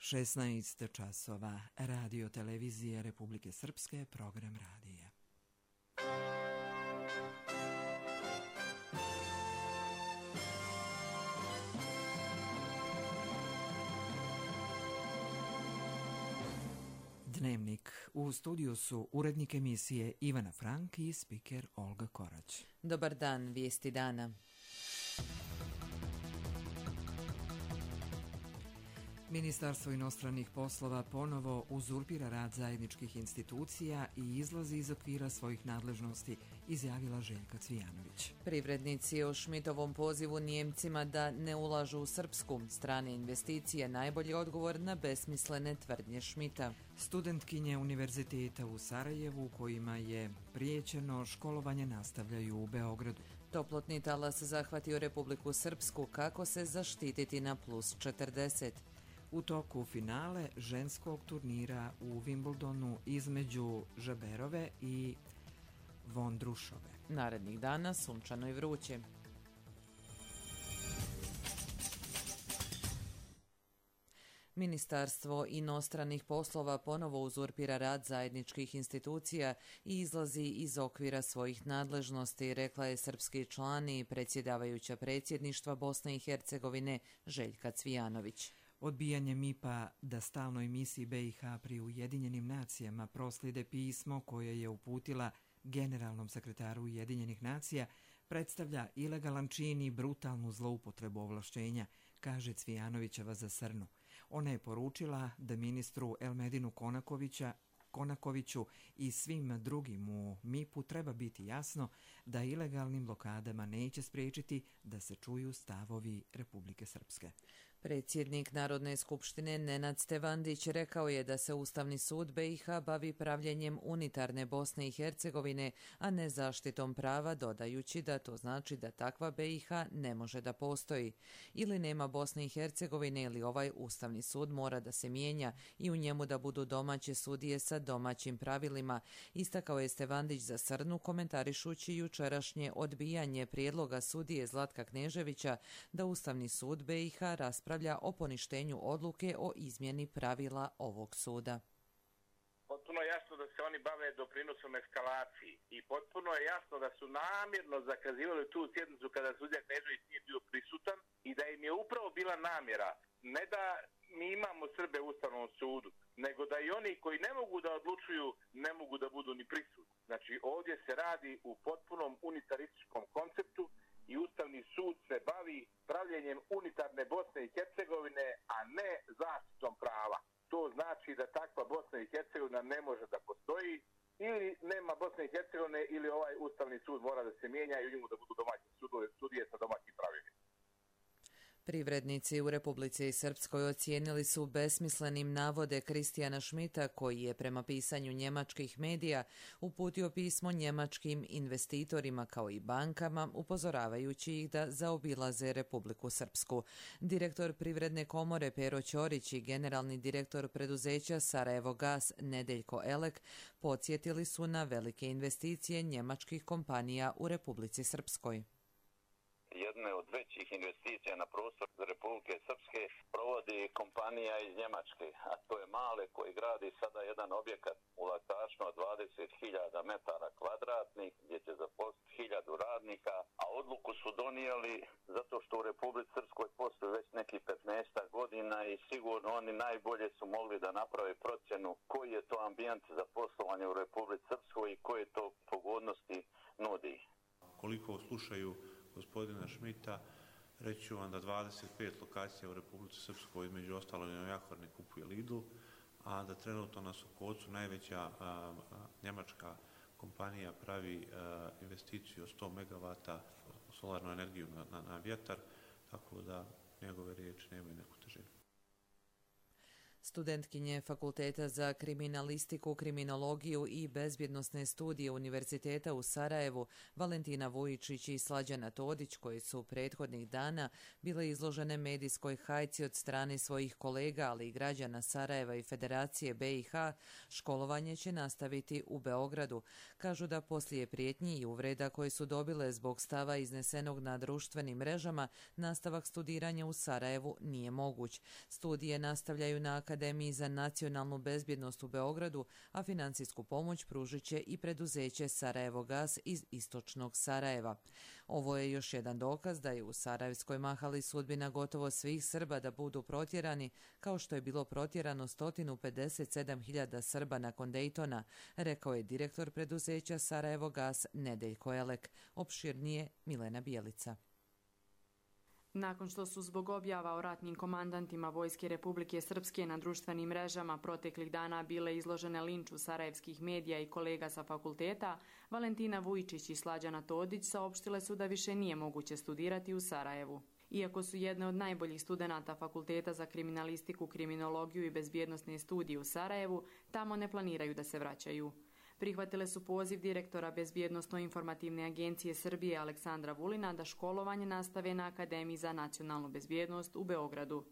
16 časova. Radio televizije Republike Srpske, program radija. Dnevnik. U studiju su urednik emisije Ivana Frank i spiker Olga Korać. Dobar dan, vijesti dana. Ministarstvo inostranih poslova ponovo uzurpira rad zajedničkih institucija i izlazi iz okvira svojih nadležnosti, izjavila Željka Cvijanović. Privrednici o Šmitovom pozivu Nijemcima da ne ulažu u Srpsku. Strane investicije najbolji odgovor na besmislene tvrdnje Šmita. Studentkinje univerziteta u Sarajevu kojima je prijećeno školovanje nastavljaju u Beogradu. Toplotni talas zahvatio Republiku Srpsku, kako se zaštititi na +40. U toku finale ženskog turnira u Wimbledonu između Žaberove i Vondrušove. Narednih dana sunčano i vruće. Ministarstvo inostranih poslova ponovo uzurpira rad zajedničkih institucija i izlazi iz okvira svojih nadležnosti, rekla je srpski član i predsjedavajuća predsjedništva Bosne i Hercegovine Željka Cvijanović. Odbijanje MIP-a da stalnoj misiji BiH pri Ujedinjenim nacijama proslijede pismo koje je uputila generalnom sekretaru Ujedinjenih nacija predstavlja ilegalan čin i brutalnu zloupotrebu ovlašćenja, kaže Cvijanovićeva za Srnu. Ona je poručila da ministru Elmedinu Konakoviću i svim drugim u MIP-u treba biti jasno da ilegalnim blokadama neće spriječiti da se čuju stavovi Republike Srpske. Predsjednik Narodne skupštine Nenad Stevandić rekao je da se Ustavni sud BiH bavi pravljenjem unitarne Bosne i Hercegovine, a ne zaštitom prava, dodajući da to znači da takva BiH ne može da postoji. Ili nema Bosne i Hercegovine ili ovaj Ustavni sud mora da se mijenja i u njemu da budu domaće sudije sa domaćim pravilima, istakao je Stevandić za Srnu komentarišući jučerašnje odbijanje prijedloga sudije Zlatka Kneževića da Ustavni sud BiH raspravlja o poništenju odluke o izmjeni pravila ovog suda. Potpuno je jasno da se oni bave doprinosom eskalaciji i potpuno je jasno da su namjerno zakazivali tu sjednicu kada sudija Knežević nije bio prisutan i da im je upravo bila namjera ne da mi imamo Srbe u Ustavnom sudu, nego da i oni koji ne mogu da odlučuju ne mogu da budu ni prisutni. Znači ovdje se radi u potpunom unitarističkom konceptu i Ustavni sud se bavi pravljenjem unitarne Bosne i Hercegovine, a ne zaštitom prava. To znači da takva Bosna i Hercegovina ne može da postoji, ili nema Bosne i Hercegovine ili ovaj Ustavni sud mora da se mijenja i u njemu da budu domaći sudije sa domaćim pravilima. Privrednici u Republici Srpskoj ocijenili su besmislenim navode Kristijana Šmita, koji je prema pisanju njemačkih medija uputio pismo njemačkim investitorima kao i bankama, upozoravajući ih da zaobilaze Republiku Srpsku. Direktor Privredne komore Pero Ćorić i generalni direktor preduzeća Sarajevo Gas Nedeljko Elek podsjetili su na velike investicije njemačkih kompanija u Republici Srpskoj. Jedne od većih investicija na prostor Republike Srpske provodi kompanija iz Njemačke, a to je Male, koji gradi sada jedan objekat u Latašno od 20.000 metara kvadratnih gdje će zaposliti 1000 radnika, a odluku su donijeli zato što u Republici Srpskoj postoji već neki 15 godina i sigurno oni najbolje su mogli da naprave procjenu koji je to ambijent za poslovanje u Republici Srpskoj i koje to pogodnosti nudi. Koliko slušaju gospodina Šmita, reći ću vam da 25 lokacija u Republici Srpskoj, između ostalo na Jahorni kupuje Lidl, a da trenutno na Sokocu najveća njemačka kompanija pravi investiciju od 100 MW solarnu energiju na vjetar, tako da njegove riječi nemaju neku težinu. Studentkinje Fakulteta za kriminalistiku, kriminologiju i bezbjednosne studije Univerziteta u Sarajevu Valentina Vujičić i Slađana Todić, koji su prethodnih dana bile izložene medijskoj hajci od strane svojih kolega, ali i građana Sarajeva i Federacije BiH, školovanje će nastaviti u Beogradu. Kažu da poslije prijetnji i uvreda koje su dobile zbog stava iznesenog na društvenim mrežama, nastavak studiranja u Sarajevu nije moguć. Studije nastavljaju na Akademiji Akademiji za nacionalnu bezbjednost u Beogradu, a financijsku pomoć pružit će i preduzeće Sarajevo Gas iz istočnog Sarajeva. Ovo je još jedan dokaz da je u Sarajevskoj mahali sudbina gotovo svih Srba da budu protjerani, kao što je bilo protjerano 157.000 Srba nakon Dejtona, rekao je direktor preduzeća Sarajevo Gas Nedeljko Elek. Opširnije Milena Bijelica. Nakon što su zbog objava o ratnim komandantima Vojske Republike Srpske na društvenim mrežama proteklih dana bile izložene linču sarajevskih medija i kolega sa fakulteta, Valentina Vujičić i Slađana Todić saopštile su da više nije moguće studirati u Sarajevu. Iako su jedne od najboljih studenata Fakulteta za kriminalistiku, kriminologiju i bezbjednosne studije u Sarajevu, tamo ne planiraju da se vraćaju. Prihvatile su poziv direktora Bezbjednosno-informativne agencije Srbije Aleksandra Vulina da školovanje nastave na Akademiji za nacionalnu bezbjednost u Beogradu.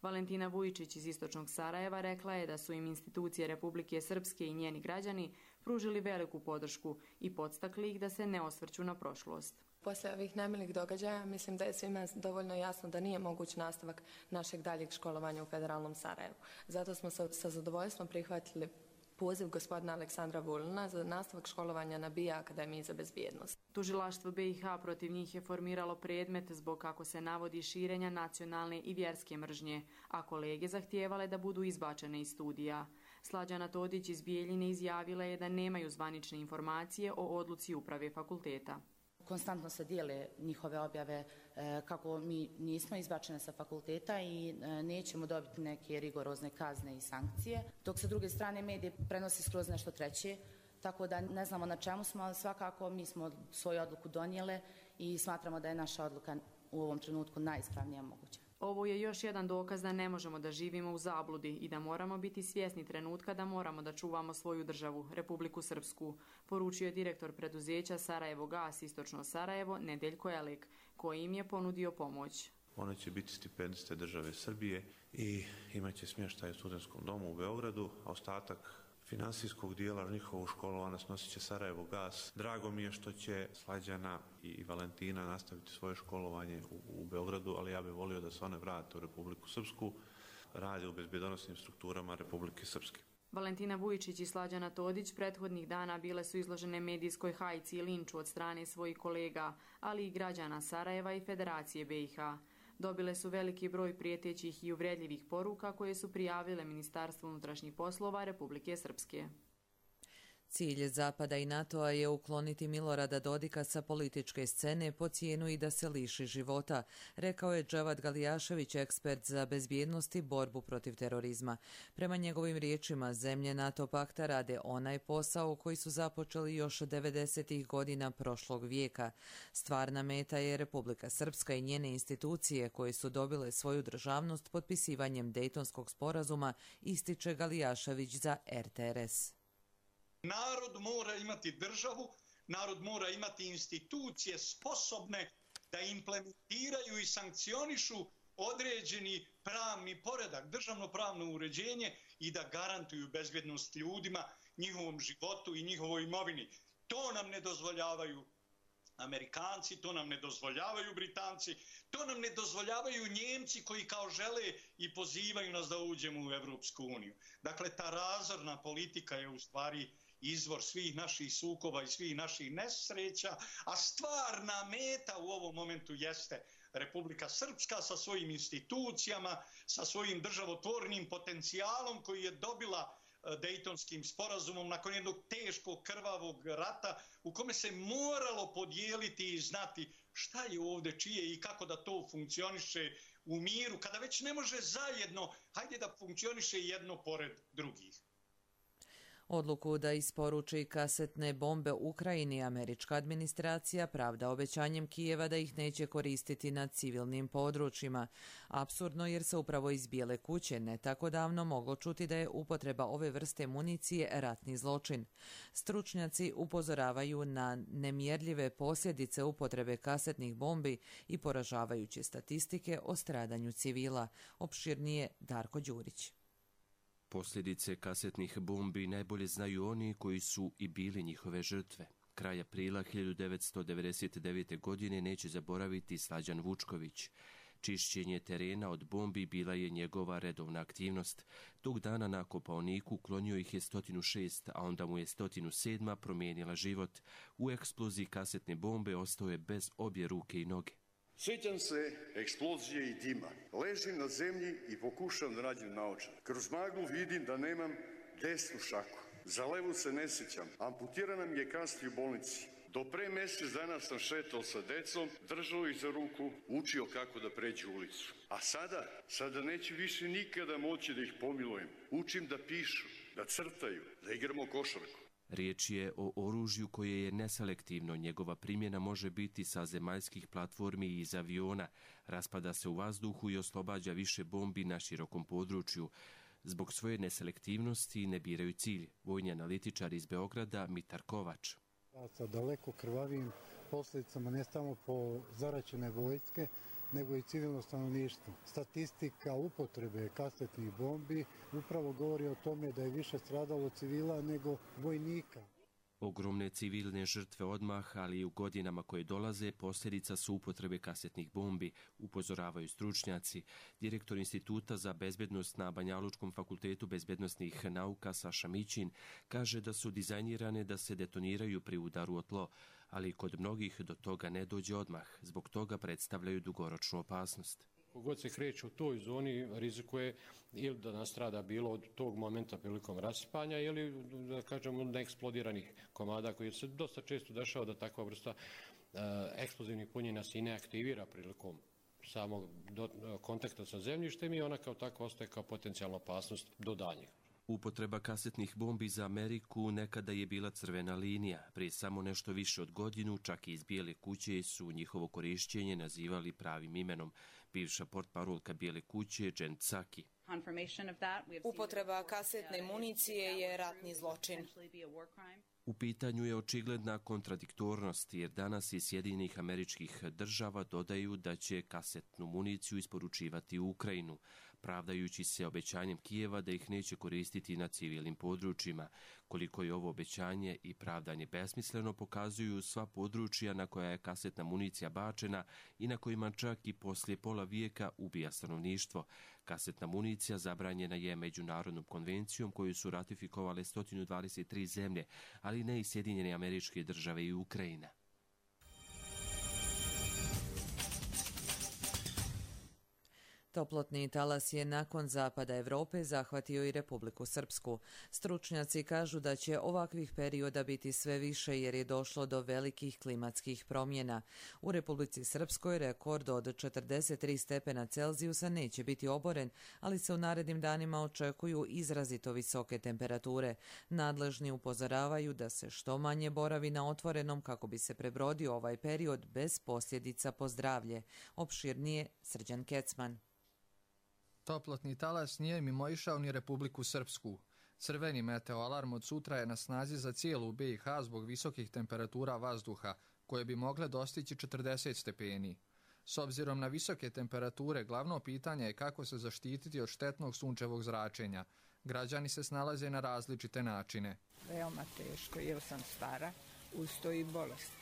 Valentina Vujičić iz istočnog Sarajeva rekla je da su im institucije Republike Srpske i njeni građani pružili veliku podršku i podstakli ih da se ne osvrću na prošlost. Poslije ovih nemilih događaja mislim da je svima dovoljno jasno da nije moguć nastavak našeg daljeg školovanja u Federalnom Sarajevu. Zato smo sa zadovoljstvom prihvatili poziv gospodina Aleksandra Vulina za nastavak školovanja na BIA Akademiji za bezbjednost. Tužilaštvo BiH protiv njih je formiralo predmet zbog, kako se navodi, širenja nacionalne i vjerske mržnje, a kolege zahtijevale da budu izbačene iz studija. Slađana Todić iz Bijeljine izjavila je da nemaju zvanične informacije o odluci uprave fakulteta. Konstantno se dijele njihove objave kako mi nismo izbačene sa fakulteta i nećemo dobiti neke rigorozne kazne i sankcije, dok sa druge strane medije prenosi skroz nešto treće, tako da ne znamo na čemu smo, ali svakako mi smo svoju odluku donijele i smatramo da je naša odluka u ovom trenutku najispravnija moguća. Ovo je još jedan dokaz da ne možemo da živimo u zabludi i da moramo biti svjesni trenutka da moramo da čuvamo svoju državu, Republiku Srpsku, poručio je direktor preduzeća Sarajevo Gas istočno Sarajevo Nedeljko Elek, koji im je ponudio pomoć. One će biti stipendiste države Srbije i imaće smještaj u studentskom domu u Beogradu, a ostatak finansijskog dijela njihovog školovanja snosit će Sarajevo Gas. Drago mi je što će Slađana i Valentina nastaviti svoje školovanje u Beogradu, ali ja bih volio da se one vrate u Republiku Srpsku, rade u bezbjedonosnim strukturama Republike Srpske. Valentina Vujičić i Slađana Todić prethodnih dana bile su izložene medijskoj hajci i linču od strane svojih kolega, ali i građana Sarajeva i Federacije BiH. Dobile su veliki broj prijetećih i uvredljivih poruka koje su prijavile Ministarstvu unutrašnjih poslova Republike Srpske. Cilj Zapada i NATO-a je ukloniti Milorada Dodika sa političke scene po cijenu i da se liši života, rekao je Dževad Galijašević, ekspert za bezbjednost i borbu protiv terorizma. Prema njegovim riječima, zemlje NATO pakta rade onaj posao koji su započeli još 90. godina prošlog vijeka. Stvarna meta je Republika Srpska i njene institucije koje su dobile svoju državnost potpisivanjem Dejtonskog sporazuma, ističe Galijašević za RTRS. Narod mora imati državu, narod mora imati institucije sposobne da implementiraju i sankcionišu određeni pravni poredak, državno pravno uređenje i da garantuju bezbjednost ljudima, njihovom životu i njihovoj imovini. To nam ne dozvoljavaju Amerikanci, to nam ne dozvoljavaju Britanci, to nam ne dozvoljavaju Njemci koji kao žele i pozivaju nas da uđemo u Evropsku uniju. Dakle, ta razorna politika je u stvari izvor svih naših sukoba i svih naših nesreća, a stvarna meta u ovom momentu jeste Republika Srpska sa svojim institucijama, sa svojim državotvornim potencijalom koji je dobila Dejtonskim sporazumom nakon jednog teškog krvavog rata u kome se moralo podijeliti i znati šta je ovdje čije i kako da to funkcioniše u miru, kada već ne može zajedno, hajde da funkcioniše jedno pored drugih. Odluku da isporuči kasetne bombe Ukrajini američka administracija pravda obećanjem Kijeva da ih neće koristiti na civilnim područjima. Apsurdno jer se upravo iz Bijele kuće ne tako davno moglo čuti da je upotreba ove vrste municije ratni zločin. Stručnjaci upozoravaju na nemjerljive posljedice upotrebe kasetnih bombi i poražavajuće statistike o stradanju civila. Opširnije Darko Đurić. Posljedice kasetnih bombi najbolje znaju oni koji su i bili njihove žrtve. Kraj aprila 1999. godine neće zaboraviti Slađan Vučković. Čišćenje terena od bombi bila je njegova redovna aktivnost. Tog dana na Kopaoniku klonio ih je 106, a onda mu je 107 promijenila život. U eksploziji kasetne bombe ostao je bez obje ruke i noge. Sjećam se eksplozije i dima. Ležim na zemlji i pokušam da nađem naočar. Kroz maglu vidim da nemam desnu šaku. Za levu se ne sjećam. Amputirana mi je kasti u bolnici. Do pre mjesec dana sam šetao sa decom, držao ih za ruku, učio kako da pređu ulicu. A sada neću više nikada moći da ih pomilujem. Učim da pišu, da crtaju, da igramo košarku. Riječ je o oružju koje je neselektivno. Njegova primjena može biti sa zemaljskih platformi i iz aviona. Raspada se u vazduhu i oslobađa više bombi na širokom području. Zbog svoje neselektivnosti ne biraju cilj. Vojni analitičar iz Beograda Mitar Kovač. Sa daleko krvavim posljedicama ne samo po zaraćene vojske, nego i civilno stanovništvo. Statistika upotrebe kasetnih bombi upravo govori o tome da je više stradalo civila nego vojnika. Ogromne civilne žrtve odmah, ali i u godinama koje dolaze, posljedica su upotrebe kasetnih bombi, upozoravaju stručnjaci. Direktor Instituta za bezbednost na Banjalučkom fakultetu bezbednosnih nauka Saša Mićin kaže da su dizajnirane da se detoniraju pri udaru o tlo, ali kod mnogih do toga ne dođe odmah. Zbog toga predstavljaju dugoročnu opasnost. Kogod se kreće u toj zoni rizikuje ili da nastrada bilo od tog momenta prilikom rasipanja ili da kažemo neeksplodiranih komada koji se dosta često dešava da takva vrsta eksplozivnih punjenja se i ne aktivira prilikom samog kontakta sa zemljištem i ona kao takva ostaje kao potencijalna opasnost do daljnjeg. Upotreba kasetnih bombi za Ameriku nekada je bila crvena linija. Prije samo nešto više od godinu, čak i iz Bijele kuće su njihovo korišćenje nazivali pravim imenom. Bivša portparolka Bijele kuće, Jen Psaki. Upotreba kasetne municije je ratni zločin. U pitanju je očigledna kontradiktornost, jer danas iz Sjedinjenih Američkih Država dodaju da će kasetnu municiju isporučivati u Ukrajinu, pravdajući se obećanjem Kijeva da ih neće koristiti na civilnim područjima. Koliko je ovo obećanje i pravdanje besmisleno pokazuju sva područja na koja je kasetna municija bačena i na kojima čak i poslije pola vijeka ubija stanovništvo. Kasetna municija zabranjena je međunarodnom konvencijom koju su ratifikovale 123 zemlje, ali ne i Sjedinjene Američke Države i Ukrajina. Toplotni talas je nakon zapada Europe zahvatio i Republiku Srpsku. Stručnjaci kažu da će ovakvih perioda biti sve više jer je došlo do velikih klimatskih promjena. U Republici Srpskoj rekord od 43 stepena Celzijusa neće biti oboren, ali se u narednim danima očekuju izrazito visoke temperature. Nadležni upozoravaju da se što manje boravi na otvorenom kako bi se prebrodio ovaj period bez posljedica po zdravlje. Opširnije Srđan Kecman. Toplotni talas nije mimoišao ni Republiku Srpsku. Crveni meteoalarm od sutra je na snazi za cijelu BiH zbog visokih temperatura vazduha, koje bi mogle dostići 40 stepeni. S obzirom na visoke temperature, glavno pitanje je kako se zaštititi od štetnog sunčevog zračenja. Građani se snalaze na različite načine. Veoma teško, jer sam stara, uz to i bolest.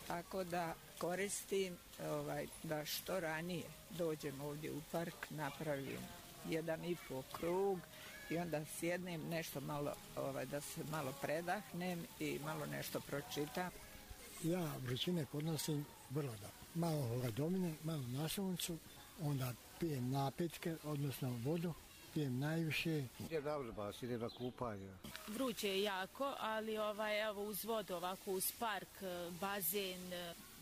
Tako da koristim da što ranije dođem ovdje u park, napravim 1,5 krug i onda sjednem nešto malo, da se malo predahnem i malo nešto pročitam. Ja vrućine podnosim vrlo dobro. Malo domine, malo na suncu, onda pijem napitke, odnosno vodu. Pijem najviše. Idem na kupanje. Vruće je jako, ali evo uz vodu, ovako uz park, bazen,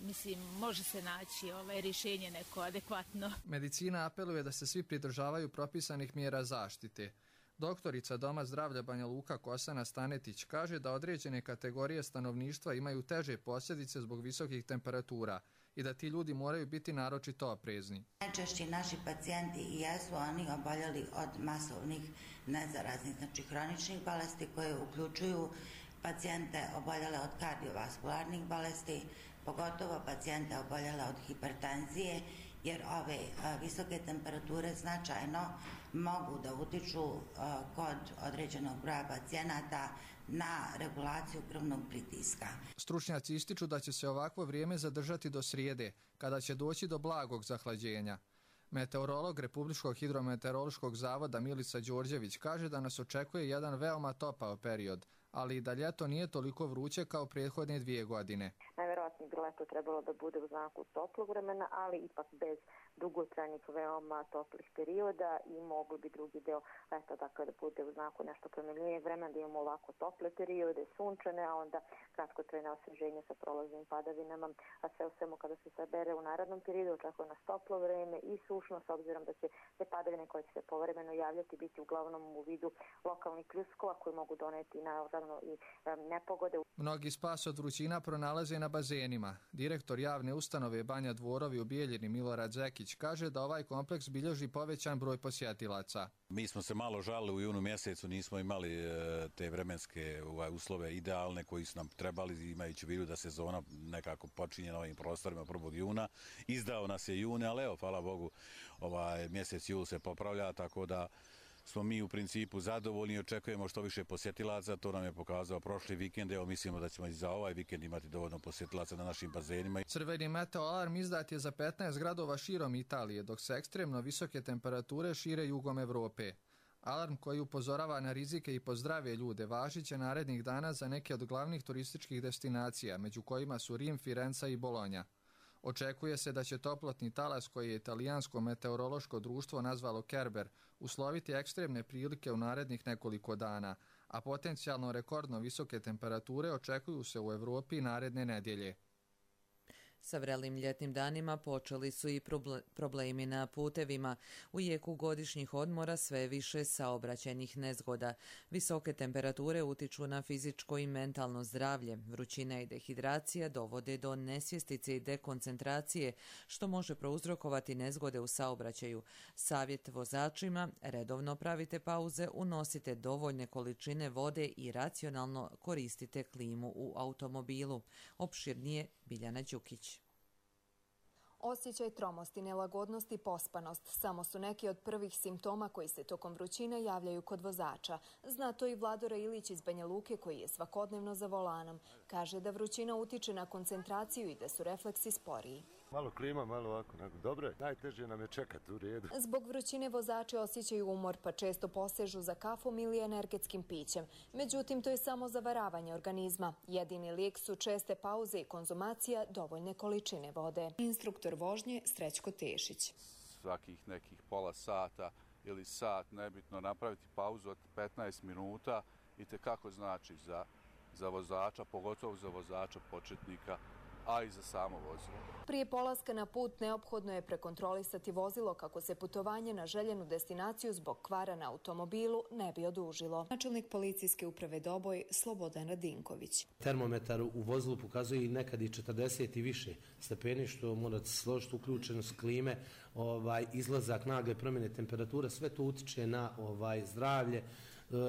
mislim, može se naći rješenje neko adekvatno. Medicina apeluje da se svi pridržavaju propisanih mjera zaštite. Doktorica Doma zdravlja Banja Luka Kosana Stanetić kaže da određene kategorije stanovništva imaju teže posljedice zbog visokih temperatura i da ti ljudi moraju biti naročito oprezni. Najčešće naši pacijenti i jesu oni oboljeli od masovnih nezaraznih, znači hroničnih bolesti koje uključuju pacijente oboljele od kardiovaskularnih bolesti, pogotovo pacijente oboljele od hipertenzije, jer ove visoke temperature značajno mogu da utiču kod određenog broja pacijenata na regulaciju krvnog pritiska. Stručnjaci ističu da će se ovakvo vrijeme zadržati do srijede, kada će doći do blagog zahlađenja. Meteorolog Republičkog hidrometeorološkog zavoda Milica Đorđević kaže da nas očekuje jedan veoma topao period, ali i da ljeto nije toliko vruće kao prethodne 2 godine. Najverovatnije bi leto trebalo da bude u znaku toplog vremena, ali ipak bez dugotrajnih veoma toplih perioda i mogli bi drugi deo leta dakle da bude u znaku nešto promenljivijeg vremena, da imamo ovako tople periode, sunčane, a onda kratkotrajne osveženje sa prolaznim padavinama, a sve u svemu kada se sabere u narednom periodu očekuje nas toplo vreme i sušno, s obzirom da će te padavine koje će se povremeno javljati biti uglavnom u vidu lokalnih pljuskova koji mogu doneti naravno i nepogode. Mnogi spas od vrućina pronalaze na bazenima. Direktor javne ustanove Banja Dvorovi u Bijeljini Milorad Zekić kaže da ovaj kompleks bilježi povećan broj posjetilaca. Mi smo se malo žalili u junu mjesecu, nismo imali te vremenske uslove idealne koji su nam trebali, imajući u vidu da sezona nekako počinje na ovim prostorima 1. juna. Izdao nas je june, ali evo, hvala Bogu, mjesec jul se popravlja, tako da smo mi u principu zadovoljni i očekujemo što više posjetilaca. To nam je pokazao prošli vikend. Evo mislimo da ćemo i za ovaj vikend imati dovoljno posjetilaca na našim bazenima. Crveni meteo alarm izdat je za 15 gradova širom Italije, dok se ekstremno visoke temperature šire jugom Evrope. Alarm koji upozorava na rizike i po zdrave ljude važit će narednih dana za neke od glavnih turističkih destinacija, među kojima su Rim, Firenca i Bolonja. Očekuje se da će toplotni talas koji je italijansko meteorološko društvo nazvalo Kerber usloviti ekstremne prilike u narednih nekoliko dana, a potencijalno rekordno visoke temperature očekuju se u Evropi naredne nedjelje. Sa vrelim ljetnim danima počeli su i problemi na putevima. U jeku godišnjih odmora sve više saobraćajnih nezgoda. Visoke temperature utiču na fizičko i mentalno zdravlje. Vrućina i dehidracija dovode do nesvjestice i dekoncentracije, što može prouzrokovati nezgode u saobraćaju. Savjet vozačima: redovno pravite pauze, unosite dovoljne količine vode i racionalno koristite klimu u automobilu. Opširnije Biljana Đukić. Osjećaj tromosti, nelagodnost i pospanost samo su neki od prvih simptoma koji se tokom vrućine javljaju kod vozača. Zna to i Vladora Ilić iz Banja Luke koji je svakodnevno za volanom. Kaže da vrućina utiče na koncentraciju i da su refleksi sporiji. Malo klima, malo ovako. Dobro je, najteže nam je čekati u redu. Zbog vrućine vozači osjećaju umor pa često posežu za kafom ili energetskim pićem. Međutim, to je samo zavaravanje organizma. Jedini lijek su česte pauze i konzumacija dovoljne količine vode. Instruktor vožnje Srećko Tešić. Svakih nekih pola sata ili sat, nebitno, napraviti pauzu od 15 minuta i tekako znači za vozača, pogotovo za vozača početnika, a i za samo vozilo. Prije polaska na put neophodno je prekontrolisati vozilo kako se putovanje na željenu destinaciju zbog kvara na automobilu ne bi odužilo. Načelnik policijske uprave Doboj Slobodan Radinković. Termometar u vozilu pokazuje i nekad i 40 i više stepeni, što morate složiti uključenost klime, izlazak, nagle promjene temperature, sve to utiče na zdravlje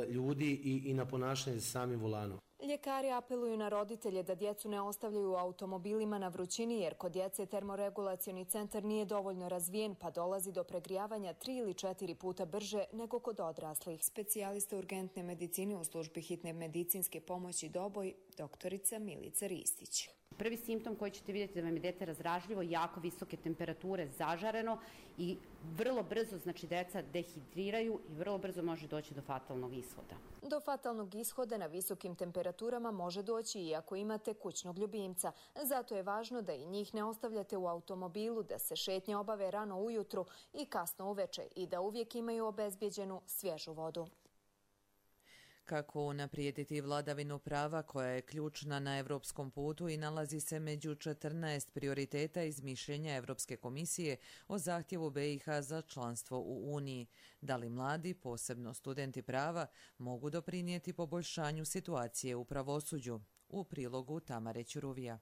ljudi i na ponašanje za samim volanom. Ljekari apeluju na roditelje da djecu ne ostavljaju u automobilima na vrućini jer kod djece termoregulacioni centar nije dovoljno razvijen pa dolazi do pregrijavanja 3 ili 4 puta brže nego kod odraslih. Specijalista urgentne medicine u službi hitne medicinske pomoći Doboj, doktorica Milica Ristić. Prvi simptom koji ćete vidjeti da vam je dete razdražljivo, jako visoke temperature, zažareno i vrlo brzo, znači deca dehidriraju i vrlo brzo može doći do fatalnog ishoda. Do fatalnog ishoda na visokim temperaturama može doći i ako imate kućnog ljubimca. Zato je važno da i njih ne ostavljate u automobilu, da se šetnje obave rano ujutru i kasno uveče i da uvijek imaju obezbijeđenu svježu vodu. Kako unaprijediti vladavinu prava koja je ključna na evropskom putu i nalazi se među 14 prioriteta iz mišljenja Evropske komisije o zahtjevu BiH za članstvo u Uniji. Da li mladi, posebno studenti prava, mogu doprinijeti poboljšanju situacije u pravosuđu? U prilogu Tamare Ćuruvija.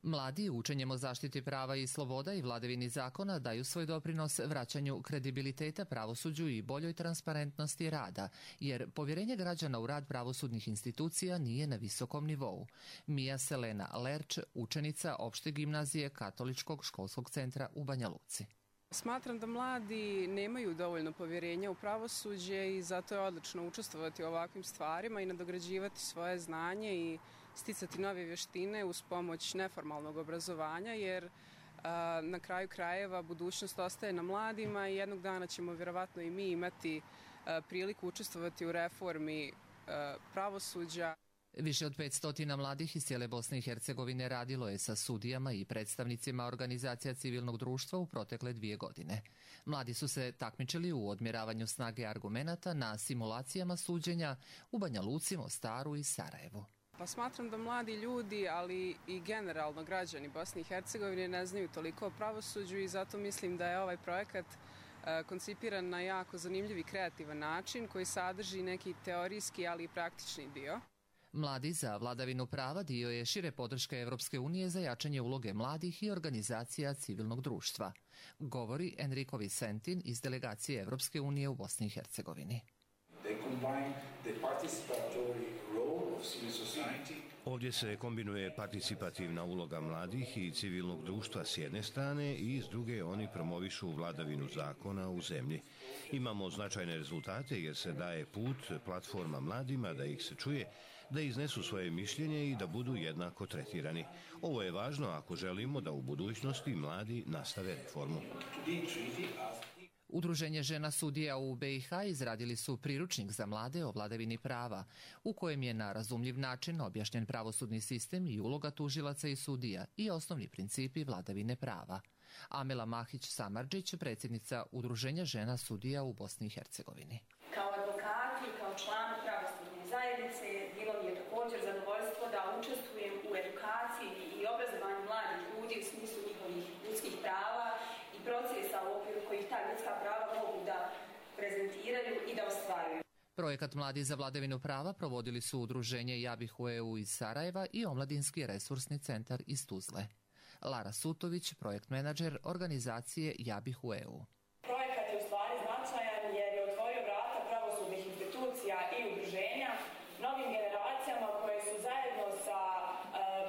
Mladi učenjem o zaštiti prava i sloboda i vladavini zakona daju svoj doprinos vraćanju kredibiliteta pravosuđu i boljoj transparentnosti rada, jer povjerenje građana u rad pravosudnih institucija nije na visokom nivou. Mija Selena Lerč, učenica opšte gimnazije Katoličkog školskog centra u Banja Luci. Smatram da mladi nemaju dovoljno povjerenja u pravosuđe i zato je odlično učestvovati u ovakvim stvarima i nadograđivati svoje znanje i sticati nove vještine uz pomoć neformalnog obrazovanja, jer Na kraju krajeva budućnost ostaje na mladima i jednog dana ćemo vjerovatno i mi imati priliku učestvovati u reformi pravosuđa. Više od 500 mladih iz cijele Bosne i Hercegovine radilo je sa sudijama i predstavnicima organizacija civilnog društva u protekle 2 godine. Mladi su se takmičili u odmjeravanju snage argumenata na simulacijama suđenja u Banja Luci, Mostaru i Sarajevu. Pa smatram da mladi ljudi, ali i generalno građani Bosne i Hercegovine ne znaju toliko o pravosuđu i zato mislim da je ovaj projekat koncipiran na jako zanimljiv i kreativan način koji sadrži neki teorijski, ali i praktični dio. Mladi za vladavinu prava dio je šire podrške Evropske unije za jačanje uloge mladih i organizacija civilnog društva, govori Enrico Vicentin iz delegacije Evropske unije u Bosni i Hercegovini. Ovdje se kombinuje participativna uloga mladih i civilnog društva s jedne strane i s druge oni promovišu vladavinu zakona u zemlji. Imamo značajne rezultate jer se daje put platforma mladima da ih se čuje, da iznesu svoje mišljenje i da budu jednako tretirani. Ovo je važno ako želimo da u budućnosti mladi nastave reformu. Udruženje žena sudija u BiH izradili su priručnik za mlade o vladavini prava, u kojem je na razumljiv način objašnjen pravosudni sistem i uloga tužilaca i sudija i osnovni principi vladavine prava. Amela Mahić-Samardžić, predsjednica Udruženja žena sudija u Bosni i Hercegovini. Kao advokati, kao član pravosudne zajednice, bilo mi je također zadovoljstvo da učestvujem u edukaciji i obrazovanju mladih ljudi u smislu njihovih ljudskih prava i procesa u okviru kojih ta ljudska prava mogu da prezentiraju i da ostvaruju. Projekat Mladi za vladavinu prava provodili su Udruženje Ja bih u EU iz Sarajeva i Omladinski resursni centar iz Tuzle. Lara Sutović, projekt menadžer organizacije Ja bih u EU. Projekat je u stvari značajan jer je otvorio vrata pravosudnih institucija i udruženja novim generacijama koje su zajedno sa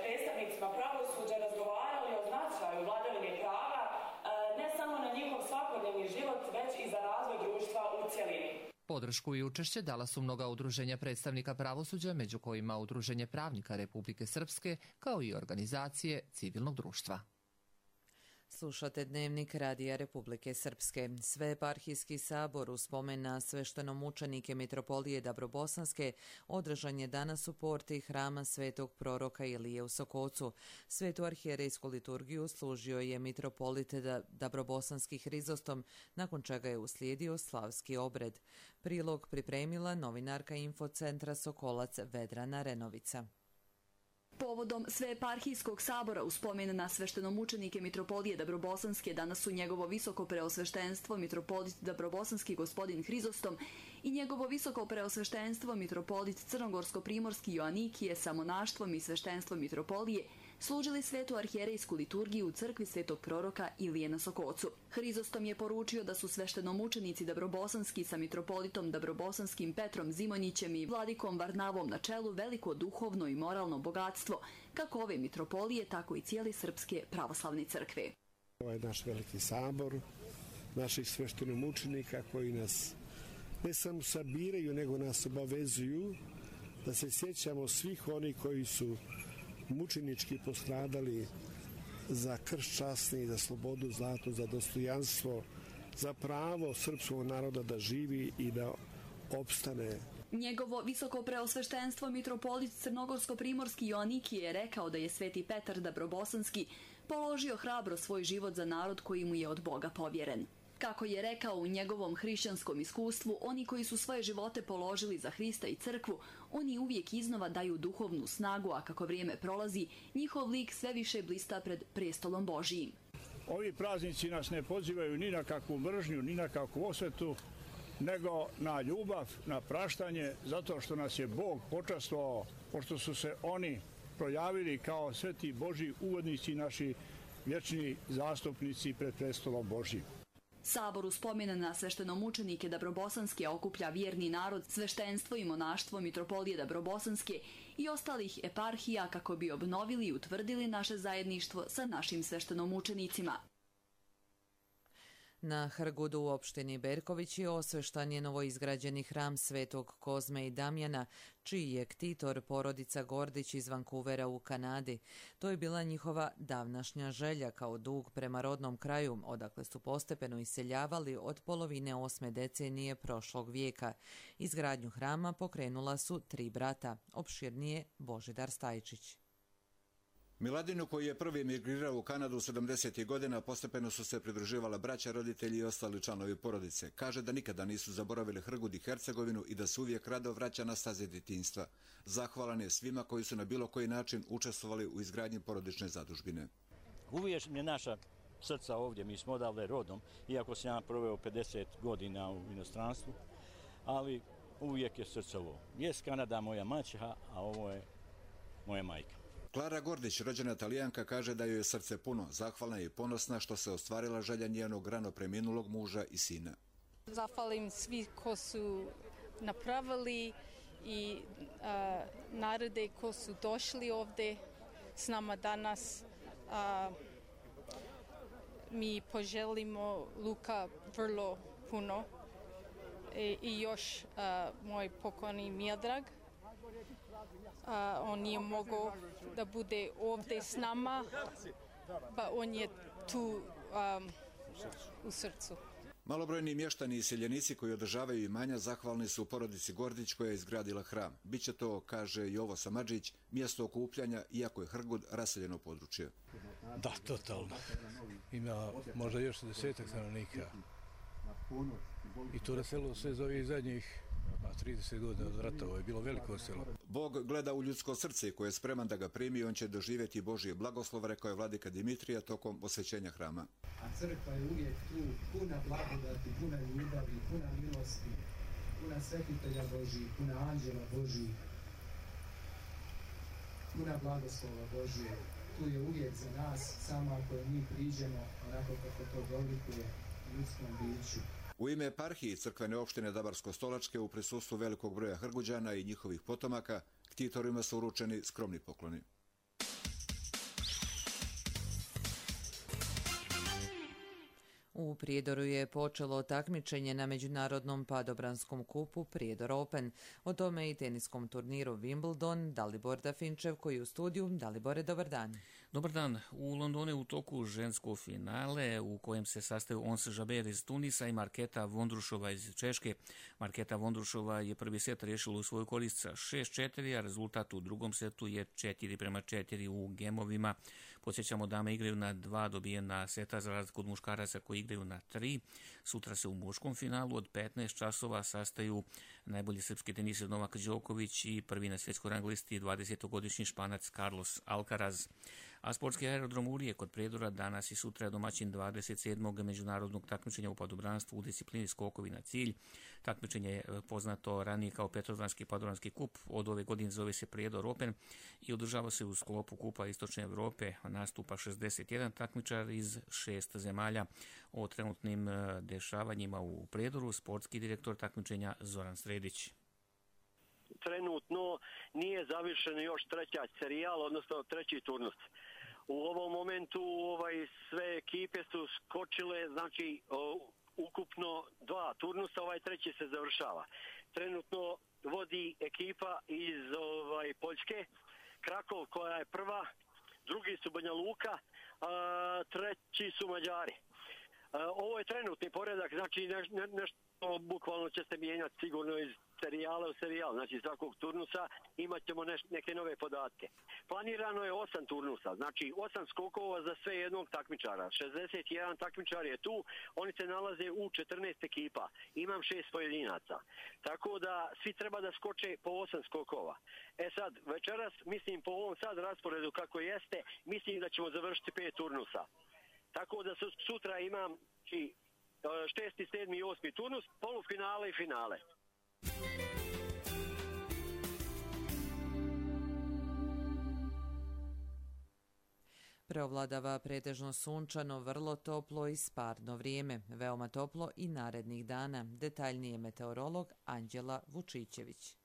predstavnicima pravosuđa razgovarali o značaju vladavine prava ne samo na njihov svakodnevni život, već i za razvoj društva u cjelini. Podršku i učešće dala su mnoga udruženja predstavnika pravosuđa, među kojima Udruženje pravnika Republike Srpske, kao i organizacije civilnog društva. Slušate Dnevnik Radija Republike Srpske. Sveeparhijski sabor u spomen na sveštenomučenike mitropolije Dabrobosanske održan je danas u porti hrama Svetog proroka Ilije u Sokocu. Svetu arhijerejsku liturgiju služio je mitropolit Dabrobosanski Hrizostom, nakon čega je uslijedio slavski obred. Prilog pripremila novinarka Infocentra Sokolac Vedrana Renovica. Povodom Sveeparhijskog sabora u spomen na sveštenomučenike mitropolije Dabrobosanske danas su njegovo visoko preosveštenstvo mitropolit Dabrobosanski gospodin Hrizostom i njegovo visoko preosveštenstvo mitropolit Crnogorsko-primorski Joanikije sa monaštvom i sveštenstvom mitropolije služili svetu arhijerejsku liturgiju u crkvi Svetog proroka Ilije na Sokocu. Hrizostom je poručio da su sveštenomučenici Dabrobosanski sa mitropolitom Dabrobosanskim Petrom Zimonjićem i vladikom Varnavom na čelu veliko duhovno i moralno bogatstvo, kako ove mitropolije, tako i cijele Srpske pravoslavne crkve. Ovo je naš veliki sabor, naših sveštenomučenika koji nas ne samo sabiraju, nego nas obavezuju da se sjećamo svih onih koji su mučenički postradali za krst časni, za slobodu, za dostojanstvo, za pravo srpskog naroda da živi i da opstane. Njegovo visoko preosveštenstvo mitropolit Crnogorsko-primorski Joanikije je rekao da je sveti Petar Dabrobosanski položio hrabro svoj život za narod koji mu je od Boga povjeren. Kako je rekao, u njegovom hrišćanskom iskustvu, oni koji su svoje živote položili za Hrista i crkvu, oni uvijek iznova daju duhovnu snagu, a kako vrijeme prolazi, njihov lik sve više blista pred prestolom Božijim. Ovi praznici nas ne pozivaju ni na kakvu mržnju, ni na kakvu osvetu, nego na ljubav, na praštanje, zato što nas je Bog počastvovao, pošto su se oni projavili kao sveti Božji uvodnici, naši vječni zastupnici pred prestolom Božijim. Sabor u spomen na sveštenomučenike Dabrobosanske okuplja vjerni narod, sveštenstvo i monaštvo mitropolije Dabrobosanske i ostalih eparhija kako bi obnovili i utvrdili naše zajedništvo sa našim sveštenomučenicima. Na Hrgudu u opštini Berkovići osveštan je novoizgrađeni hram Svetog Kozme i Damjana, čiji je ktitor porodica Gordić iz Vancouvera u Kanadi. To je bila njihova davnašnja želja kao dug prema rodnom kraju, odakle su postepeno iseljavali od polovine 8. decenije prošlog vijeka. Izgradnju hrama pokrenula su 3 brata, opširnije Božidar Stajčić. Miladinu, koji je prvi emigrirao u Kanadu 70. godina, postepeno su se pridruživala braća, roditelji i ostali članovi porodice. Kaže da nikada nisu zaboravili Hrgud i Hercegovinu i da se uvijek rado vraća na staze djetinjstva. Zahvalan je svima koji su na bilo koji način učestvovali u izgradnji porodične zadužbine. Uvijek je naša srca ovdje, mi smo odavde rodom, iako sam ja proveo 50 godina u inostranstvu, ali uvijek je srce ovo. Jes Kanada moja maćeha, a ovo je moja majka. Klara Gordić, rođena Talijanka, kaže da joj je srce puno, zahvalna i ponosna što se ostvarila želja njenog rano preminulog muža i sina. Zahvalim svi ko su napravili i narode ko su došli ovdje s nama danas. Mi poželimo Luka vrlo puno i još moj pokojni Miodrag. On nije mogao da bude ovdje s nama, pa on je tu u srcu. Malobrojni mještani i seljenici koji održavaju imanja zahvalni su porodici Gordić koja je izgradila hram. Biće to, kaže Jovo Samadžić, mjesto okupljanja, iako je Hrgud raseljeno područje. Da, totalno. Ima možda još 10 stanovnika. I to raselilo se iz ovih zadnjih 30 godina od rata, ovo je bilo veliko selo. Bog gleda u ljudsko srce koje je spreman da ga primi i on će doživjeti Božje blagoslov, rekao je vladika Dimitrija tokom osvećenja hrama. A crkva je uvijek tu, puna blagodati, puna ljubavi, puna milosti, puna svetitelja Božjih, puna anđela Božjih, puna blagoslova Božje. Tu je uvijek za nas, samo ako mi priđemo onako kako to dolikuje ljudskom biću. U ime eparhije crkvene opštine Dabarsko-Stolačke u prisustvu velikog broja Hrguđana i njihovih potomaka ktitorima su uručeni skromni pokloni. U Prijedoru je počelo takmičenje na međunarodnom padobranskom kupu Prijedor Open. O tome i teniskom turniru Wimbledon. Dalibor Dafinčev koji je u studiju. Dalibore, dobar dan. Dobar dan. U Londonu je u toku žensko finale u kojem se sastaju Ons Jabeur iz Tunisa i Marketa Vondrušova iz Češke. Marketa Vondrušova je prvi set riješila u svoju korist sa 6-4, a rezultat u drugom setu je 4-4 u gemovima. Podsjećamo, dame igraju na 2 dobijena seta za razliku od muškaraca koji igraju na 3. Sutra se u muškom finalu od 15 časova sastaju najbolji srpski teniser Novak Đoković i prvi na svjetskoj rang listi 20-godišnji Španac Carlos Alcaraz. A sportski aerodrom Urije kod Prijedora danas i sutra je domaćin 27. međunarodnog takmičenja u padobranstvu u disciplini skokovi na cilj. Takmičenje je poznato ranije kao Petrovdanski padobranski kup. Od ove godine zove se Prijedor Open i održava se u sklopu Kupa Istočne Evrope. Nastupa 61 takmičar iz 6 zemalja. O trenutnim dešavanjima u Prijedoru sportski direktor takmičenja Zoran Sredić. Trenutno nije završen još treća serijal, odnosno treći turnus. U ovom momentu sve ekipe su skočile, znači ukupno 2 turnusa, treći se završava. Trenutno vodi ekipa iz Poljske, Krakov koja je prva, drugi su Banja Luka, treći su Mađari. Ovo je trenutni poredak, znači nešto bukvalno će se mijenjati sigurno iz serijala u serijal, znači svakog turnusa imat ćemo neke nove podatke. Planirano je 8 turnusa, znači 8 skokova za sve jednog takmičara. 61 takmičar je tu, oni se nalaze u 14 ekipa. Imam 6 pojedinaca. Tako da svi treba da skoče po 8 skokova. Sad, večeras, mislim po ovom sad rasporedu kako jeste, mislim da ćemo završiti 5 turnusa. Tako da sutra imam 6., 7. i 8. turnus, polufinale i finale. Preovladava pretežno sunčano, vrlo toplo i sparno vrijeme. Veoma toplo i narednih dana. Detaljnije meteorolog Anđela Vučićević.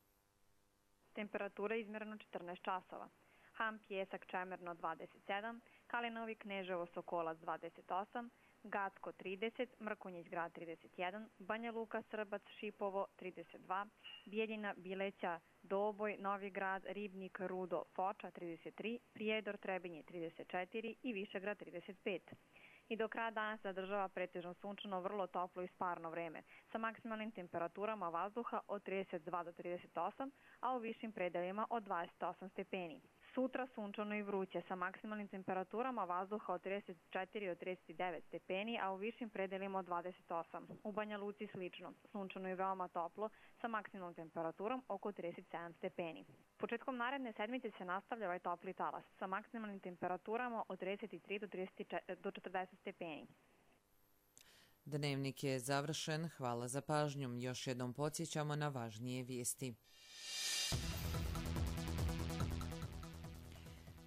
Temperatura izmjereno 14 časova. Ham, Pjesak, Čemerno 27, Kalinovi, Kneževo, Sokolac 28, Gacko 30, Mrkonjić grad 31, Banja Luka, Srbac, Šipovo 32, Bijeljina, Bileća, Doboj, Novi grad, Ribnik, Rudo, Foča 33, Prijedor, Trebinje 34 i Višegrad 35. I do kraja danas zadržava pretežno sunčano, vrlo toplo i sparno vreme, sa maksimalnim temperaturama vazduha od 32 do 38, a u višim predelima od 28 stepeni. Sutra sunčano i vruće, sa maksimalnim temperaturama vazduha od 34 do 39 stepeni, a u višim predelima od 28. U Banja Luci slično, sunčano i veoma toplo, sa maksimalnom temperaturom oko 37 stepeni. Početkom naredne sedmice se nastavlja ovaj topli talas, sa maksimalnim temperaturama od 33 do 40 stepeni. Dnevnik je završen, hvala za pažnju. Još jednom podsjećamo na važnije vijesti.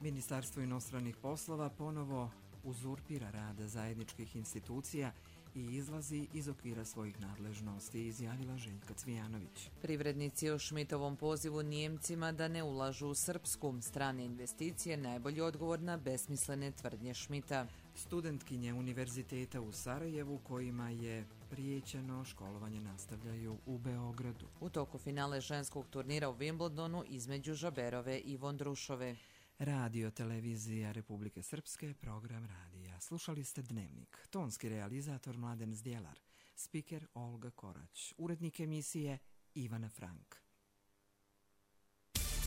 Ministarstvo inostranih poslova ponovo uzurpira rad zajedničkih institucija i izlazi iz okvira svojih nadležnosti, izjavila Željka Cvijanović. Privrednici o Šmitovom pozivu Nijemcima da ne ulažu u Srpsku, strane investicije, najbolji odgovor na besmislene tvrdnje Šmita. Studentkinje Univerziteta u Sarajevu kojima je prijećeno školovanje nastavljaju u Beogradu. U toku finale ženskog turnira u Wimbledonu između Žaberove i Vondrušove. Radio Televizija Republike Srpske, program radija. Slušali ste Dnevnik. Tonski realizator Mladen Zdjelar. Spiker Olga Korać. Urednik emisije Ivana Frank.